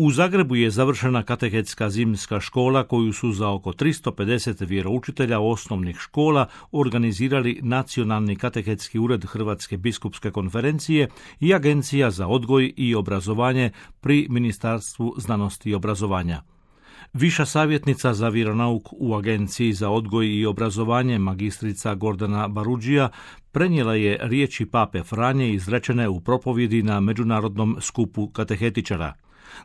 U Zagrebu je završena katehetska zimska škola koju su za oko 350 vjeroučitelja osnovnih škola organizirali Nacionalni katehetski ured Hrvatske biskupske konferencije i Agencija za odgoj i obrazovanje pri Ministarstvu znanosti i obrazovanja. Viša savjetnica za vjeronauk u Agenciji za odgoj i obrazovanje, magistrica Gordana Barudžija, prenijela je riječi pape Franje izrečene u propovjedi na Međunarodnom skupu katehetičara.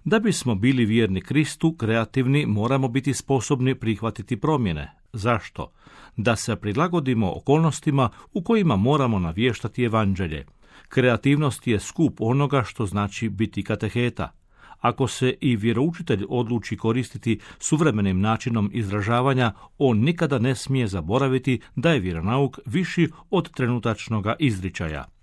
Da bismo bili vjerni Kristu, kreativni, moramo biti sposobni prihvatiti promjene. Zašto? Da se prilagodimo okolnostima u kojima moramo navještati evanđelje. Kreativnost je skup onoga što znači biti kateheta. Ako se i vjeroučitelj odluči koristiti suvremenim načinom izražavanja, on nikada ne smije zaboraviti da je vjeronauk viši od trenutačnoga izričaja.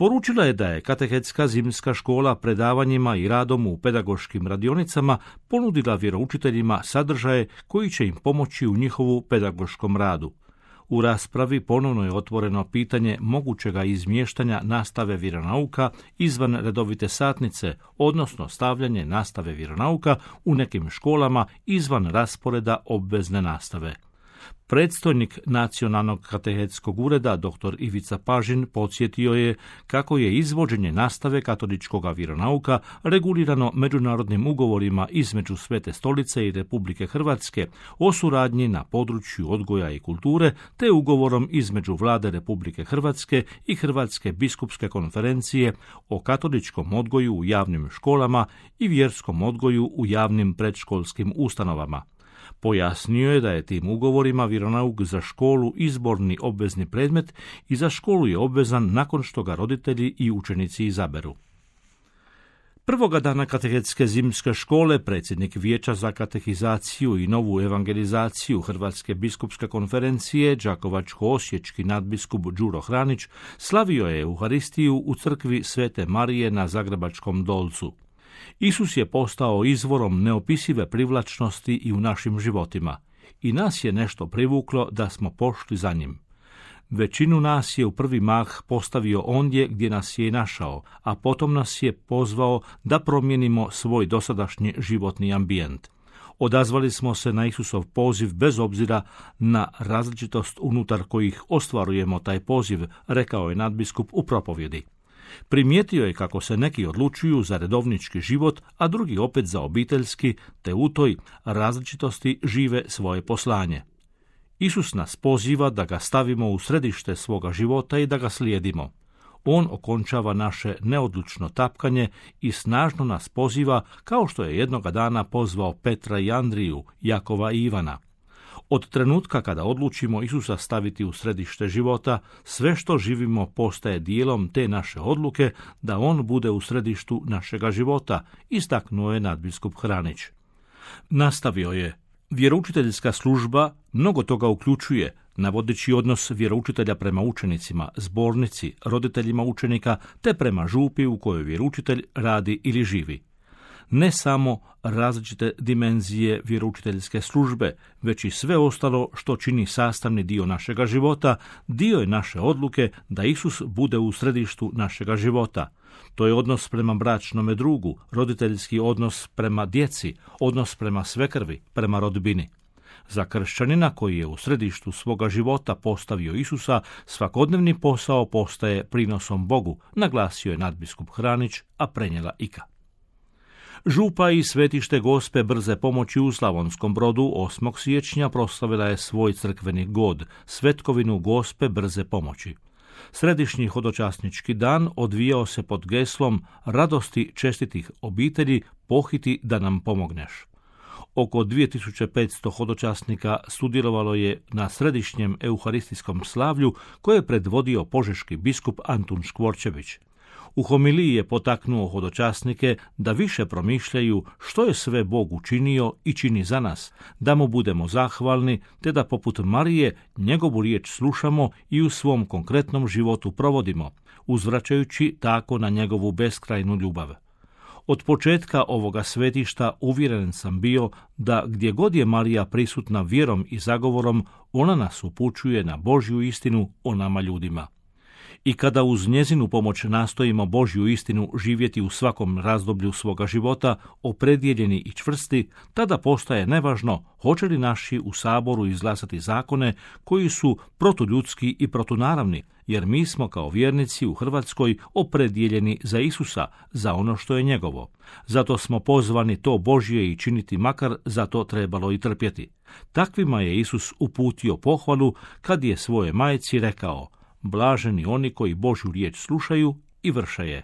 Poručila je da je katehetska zimska škola predavanjima i radom u pedagoškim radionicama ponudila vjeroučiteljima sadržaje koji će im pomoći u njihovu pedagoškom radu. U raspravi ponovno je otvoreno pitanje mogućega izmještanja nastave vjeronauka izvan redovite satnice, odnosno stavljanje nastave vjeronauka u nekim školama izvan rasporeda obvezne nastave. Predstojnik Nacionalnog katehetskog ureda, dr. Ivica Pažin, podsjetio je kako je izvođenje nastave katoličkog vjeronauka regulirano međunarodnim ugovorima između Svete stolice i Republike Hrvatske o suradnji na području odgoja i kulture, te ugovorom između Vlade Republike Hrvatske i Hrvatske biskupske konferencije o katoličkom odgoju u javnim školama i vjerskom odgoju u javnim predškolskim ustanovama. Pojasnio je da je tim ugovorima vjeronauk za školu izborni obvezni predmet i za školu je obvezan nakon što ga roditelji i učenici izaberu. Prvoga dana katehetske zimske škole predsjednik Vijeća za katehizaciju i novu evangelizaciju Hrvatske biskupske konferencije, đakovačko-osječki nadbiskup Đuro Hranić, slavio je Euharistiju u crkvi Svete Marije na Zagrebačkom Dolcu. Isus je postao izvorom neopisive privlačnosti i u našim životima. I nas je nešto privuklo da smo pošli za njim. Većinu nas je u prvi mah postavio ondje gdje nas je i našao, a potom nas je pozvao da promijenimo svoj dosadašnji životni ambijent. Odazvali smo se na Isusov poziv bez obzira na različitost unutar kojih ostvarujemo taj poziv, rekao je nadbiskup u propovjedi. Primijetio je kako se neki odlučuju za redovnički život, a drugi opet za obiteljski, te u toj različitosti žive svoje poslanje. Isus nas poziva da ga stavimo u središte svoga života i da ga slijedimo. On okončava naše neodlučno tapkanje i snažno nas poziva kao što je jednoga dana pozvao Petra i Andriju, Jakova i Ivana. Od trenutka kada odlučimo Isusa staviti u središte života, sve što živimo postaje dijelom te naše odluke da on bude u središtu našega života, istaknuo je nadbiskup Hranić. Nastavio je, vjeroučiteljska služba mnogo toga uključuje, navodeći odnos vjeroučitelja prema učenicima, zbornici, roditeljima učenika, te prema župi u kojoj vjeroučitelj radi ili živi. Ne samo različite dimenzije vjeroučiteljske službe, već i sve ostalo što čini sastavni dio našega života, dio je naše odluke da Isus bude u središtu našega života. To je odnos prema bračnome drugu, roditeljski odnos prema djeci, odnos prema svekrvi, prema rodbini. Za kršćanina koji je u središtu svoga života postavio Isusa, svakodnevni posao postaje prinosom Bogu, naglasio je nadbiskup Hranić, a prenijela Ika. Župa i Svetište Gospe Brze pomoći u Slavonskom Brodu 8. siječnja proslavila je svoj crkveni god, Svetkovinu Gospe Brze pomoći. Središnji hodočasnički dan odvijao se pod geslom radosti čestitih obitelji, pohiti da nam pomogneš. Oko 2500 hodočasnika sudjelovalo je na središnjem euharistijskom slavlju koje je predvodio požeški biskup Antun Škvorčević. U homiliji je potaknuo hodočasnike da više promišljaju što je sve Bog učinio i čini za nas, da mu budemo zahvalni, te da poput Marije njegovu riječ slušamo i u svom konkretnom životu provodimo, uzvraćajući tako na njegovu beskrajnu ljubav. Od početka ovoga svetišta uvjeren sam bio da gdje god je Marija prisutna vjerom i zagovorom, ona nas upućuje na Božju istinu o nama ljudima. I kada uz njezinu pomoć nastojimo Božju istinu živjeti u svakom razdoblju svoga života, opredjeljeni i čvrsti, tada postaje nevažno hoće li naši u saboru izglasati zakone koji su protuljudski i protunaravni, jer mi smo kao vjernici u Hrvatskoj opredjeljeni za Isusa, za ono što je njegovo. Zato smo pozvani to Božje i činiti, makar za to trebalo i trpjeti. Takvima je Isus uputio pohvalu kad je svoje majci rekao: blaženi oni koji Božju riječ slušaju i vrše je.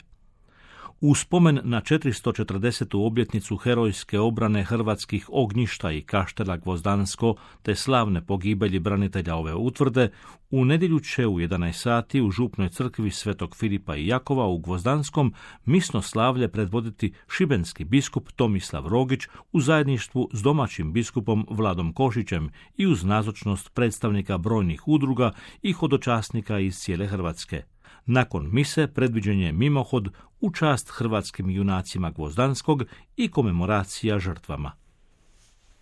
U spomen na 440. obljetnicu herojske obrane hrvatskih ognjišta i Kaštela Gvozdansko te slavne pogibelji branitelja ove utvrde, u nedjelju će u 11 sati u župnoj crkvi Svetog Filipa i Jakova u Gvozdanskom misno slavlje predvoditi šibenski biskup Tomislav Rogić u zajedništvu s domaćim biskupom Vladom Košićem i uz nazočnost predstavnika brojnih udruga i hodočasnika iz cijele Hrvatske. Nakon mise predviđen je mimohod u čast hrvatskim junacima Gvozdanskog i komemoracija žrtvama.